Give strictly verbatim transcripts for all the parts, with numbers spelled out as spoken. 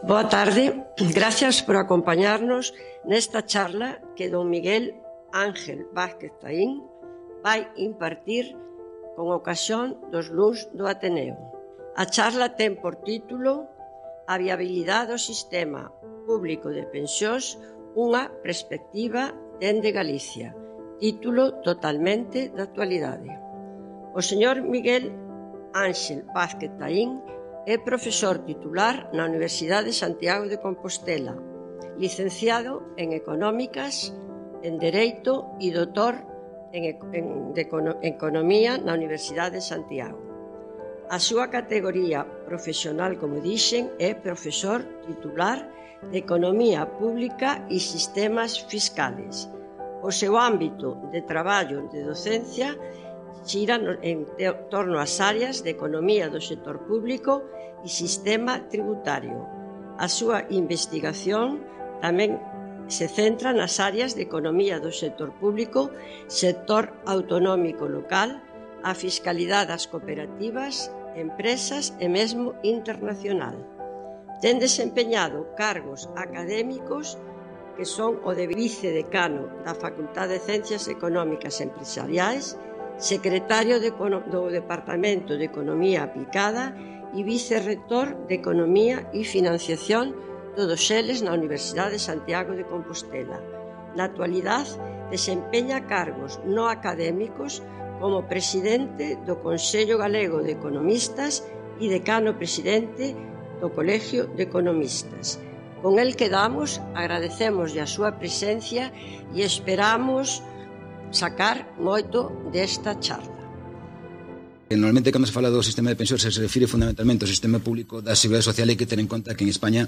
Boa tarde, gracias por acompañarnos nesta charla que don Miguel Ángel Vázquez Taín vai impartir con ocasión dos luns do Ateneo. A charla ten por título A viabilidade do sistema público de pensións, unha perspectiva dende Galicia, título totalmente de actualidade. O señor Miguel Ángel Vázquez Taín é profesor titular na Universidade de Santiago de Compostela, licenciado en Económicas, en Dereito e doutor en, en, de Economía na Universidade de Santiago. A súa categoría profesional, como dixen, é profesor titular de Economía Pública e Sistemas Fiscales. O seu ámbito de traballo de docencia xira en torno ás áreas de economía do sector público e sistema tributario. A súa investigación tamén se centra nas áreas de economía do sector público, sector autonómico local, a fiscalidade das cooperativas, empresas e mesmo internacional. Ten desempeñado cargos académicos que son o de vicedecano da Facultade de Ciencias Económicas e Empresariais, secretario de, do Departamento de Economía Aplicada e vicerrector de Economía e Financiación, todos eles na Universidade de Santiago de Compostela. Na actualidade, desempeña cargos no académicos como presidente do Consello Galego de Economistas e decano presidente do Colegio de Economistas. Con el quedamos, agradecemos a súa presencia e esperamos sacar moito desta charla. Normalmente, cando se fala do sistema de pensións, se refire fundamentalmente ao sistema público da Seguridade Social. Hai que ter en conta que en España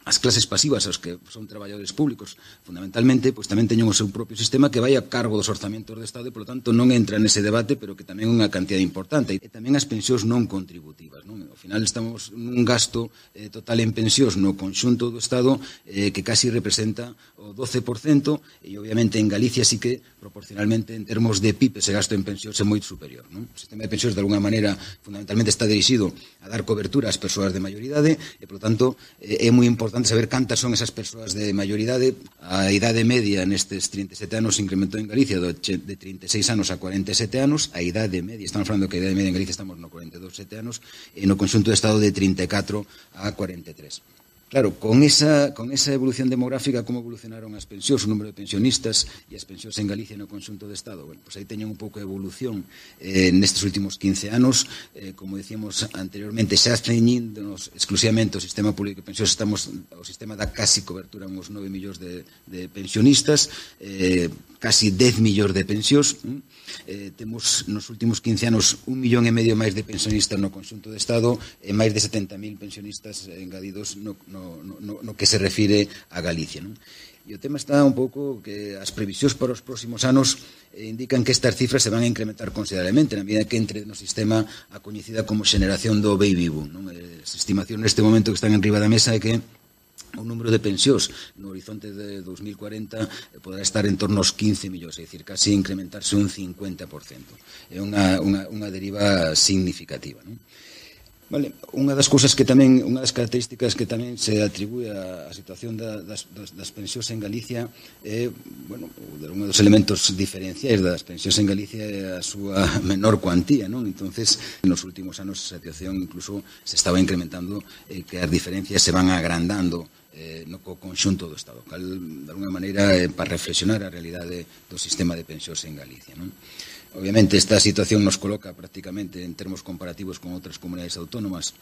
as clases pasivas, os que son traballadores públicos, fundamentalmente, pois tamén teñen o seu propio sistema que vai a cargo dos orzamentos do Estado e, polo tanto, non entra nese debate, pero que tamén é unha cantidad importante. E tamén as pensións non contributivas, non? Ao final estamos nun gasto eh, total en pensións no conxunto do Estado eh, que casi representa o doce por cento e, obviamente, en Galicia sí que, proporcionalmente, en termos de P I B, ese gasto en pensións é moito superior, non? O sistema de pensións, de alguna maneira, fundamentalmente está dirixido a dar cobertura ás persoas de maioridade e, polo tanto, eh, é moi importante saber cantas son esas persoas de maioridade. A idade media nestes trinta e sete anos se incrementou en Galicia de trinta e seis anos a cuarenta e sete anos. A idade media, estamos falando que a idade media en Galicia estamos no cuarenta e dous, sete anos, e no conxunto do Estado de trinta e catro a cuarenta e tres. Claro, con esa, con esa evolución demográfica, como evolucionaron as pensións, o número de pensionistas e as pensións en Galicia no conxunto do Estado? Bueno, pois aí teñen un pouco de evolución eh, nestes últimos quince anos. Eh, como decíamos anteriormente, xa ceñíndonos exclusivamente o sistema público de pensións, estamos, o sistema dá casi cobertura a uns nove millóns de, de pensionistas, eh, casi dez millóns de pensións. Eh, temos nos últimos quince anos un millón e medio máis de pensionistas no conxunto do Estado e máis de setenta mil pensionistas engadidos no, no, no, no que se refire a Galicia, non? E o tema está un pouco que as previsións para os próximos anos eh, indican que estas cifras se van a incrementar considerablemente na medida que entre no sistema a coñecida como xeneración do baby boom, non? As estimacións neste momento que están en riba da mesa é que o número de pensións no horizonte de dos mil cuarenta poderá estar en torno aos quince millóns, é dicir, casi incrementarse un cincuenta por cento. É unha, unha, unha deriva significativa, non? Vale, unha das cousas que tamén, unha das características que tamén se atribúe á situación da, das, das, das pensións en Galicia é, bueno, un dos elementos diferenciais das pensións en Galicia é a súa menor cuantía, non? Entonces, nos últimos anos a situación incluso se estaba incrementando, eh, que as diferencias se van agrandando eh, no conxunto do Estado, cal, de alguna maneira, eh, para reflexionar a realidade do sistema de pensións en Galicia, non? Obviamente, esta situación nos coloca prácticamente en termos comparativos con outras comunidades autónomas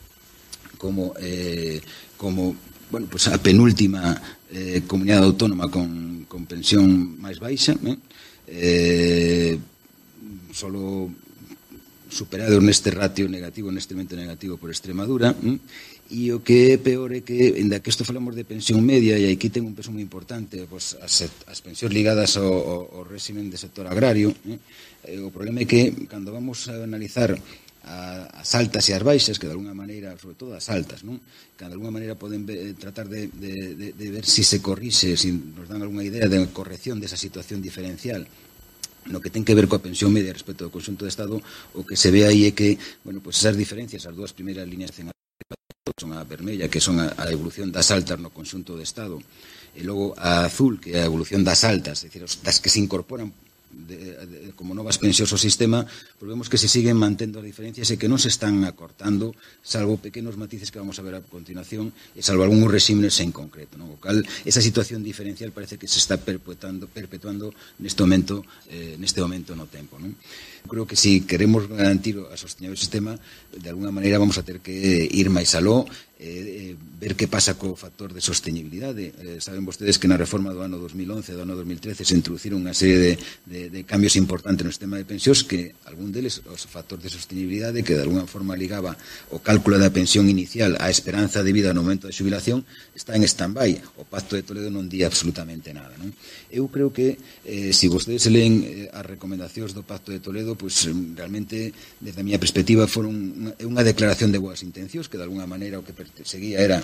como, eh, como bueno, pues a penúltima eh, comunidade autónoma con, con pensión máis baixa, eh? Eh, solo superado neste ratio negativo, neste momento negativo por Extremadura, eh? E o que é peor é que, ainda que isto falamos de pensión media, e aquí ten un peso moi importante, pues, as, as pensións ligadas ao, ao, ao régimen de sector agrario, eh? O problema é que, cando vamos a analizar a, as altas e as baixas, que de alguna maneira, sobre todo as altas, non? Que de alguna maneira poden ver, tratar de, de, de, de ver si se corrixe, si nos dan alguna idea de corrección desa situación diferencial no que ten que ver coa pensión media respecto ao conxunto do Estado. O que se ve aí é que, bueno, pues esas diferencias, as dúas primeiras líneas son a vermella, que son a, a evolución das altas no conxunto do Estado, e logo a azul, que é a evolución das altas, é dicir, das que se incorporan De, de, como novas pensións ao sistema, pois vemos que se siguen mantendo as diferencias e que non se están acortando, salvo pequenos matices que vamos a ver a continuación, e salvo algúns regímenes en concreto, non? O cal, esa situación diferencial parece que se está perpetuando, perpetuando neste momento, eh, neste momento no tempo, non? Creo que se si queremos garantir a sostenibilidade do sistema, de alguna maneira vamos a ter que ir máis aló, eh, eh, ver que pasa co factor de sostenibilidade. Eh, saben vostedes que na reforma do ano dos mil once, do ano dos mil trece, se introduciron unha serie de, de, de cambios importantes no sistema de pensións, que algún deles, os factores de sostenibilidade, que de alguna forma ligaba o cálculo da pensión inicial á esperanza de vida no momento de xubilación, está en stand-by. O Pacto de Toledo non di absolutamente nada, non? Eu creo que, eh, se vostedes leen eh, as recomendacións do Pacto de Toledo, pois realmente, desde a miña perspectiva, foron unha, unha declaración de boas intencións, que de alguna maneira o que perseguía era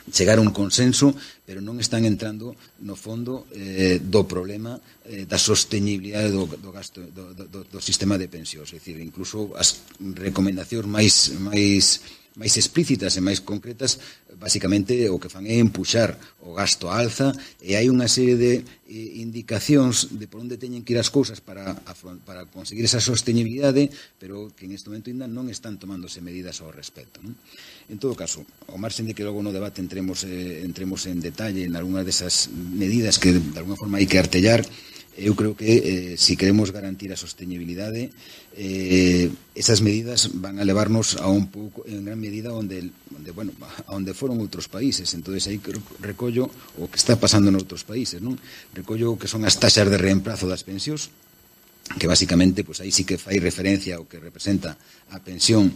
chegar a un consenso, pero non están entrando no fondo eh, do problema eh, da sostenibilidade do, do gasto do, do, do sistema de pensións. É dicir, incluso as recomendacións máis máis máis explícitas e máis concretas, basicamente o que fan é empuxar o gasto á alza, e hai unha serie de eh, indicacións de por onde teñen que ir as cousas para, para conseguir esa sostenibilidade, pero que en este momento ainda non están tomándose medidas ao respecto, non? En todo caso, ao marxen de que logo no debate entremos, eh, entremos en detalle en algunha desas medidas que de alguna forma hai que artellar, eu creo que eh, se si queremos garantir a sostenibilidade, eh, esas medidas van a levarnos a un pouco, en gran medida, onde, onde, bueno, a onde foron outros países. Entonces aí recollo o que está pasando en outros países, non? Recollo o que son as taxas de reemplazo das pensións, que basicamente, pues aí sí que fai referencia ao que representa a pensión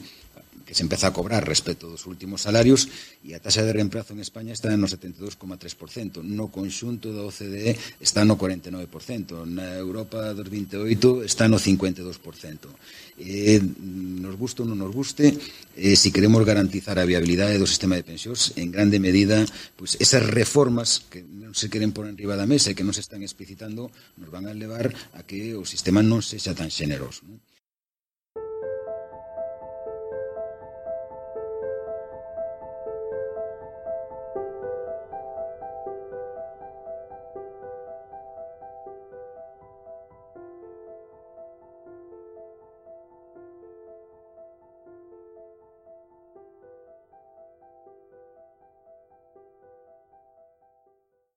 que se empeza a cobrar respecto dos últimos salarios, e a taxa de reemplazo en España está no setenta e dous coma tres por cento, no conxunto da O C D E está no cuarenta e nove por cento, na Europa dos vinte e oito está no cincuenta e dous por cento. Eh, nos guste ou non nos guste, eh, se si queremos garantizar a viabilidade do sistema de pensións, en grande medida, pues, esas reformas que non se queren por enriba da mesa e que non se están explicitando, nos van a levar a que o sistema non sexa tan xeneroso, non?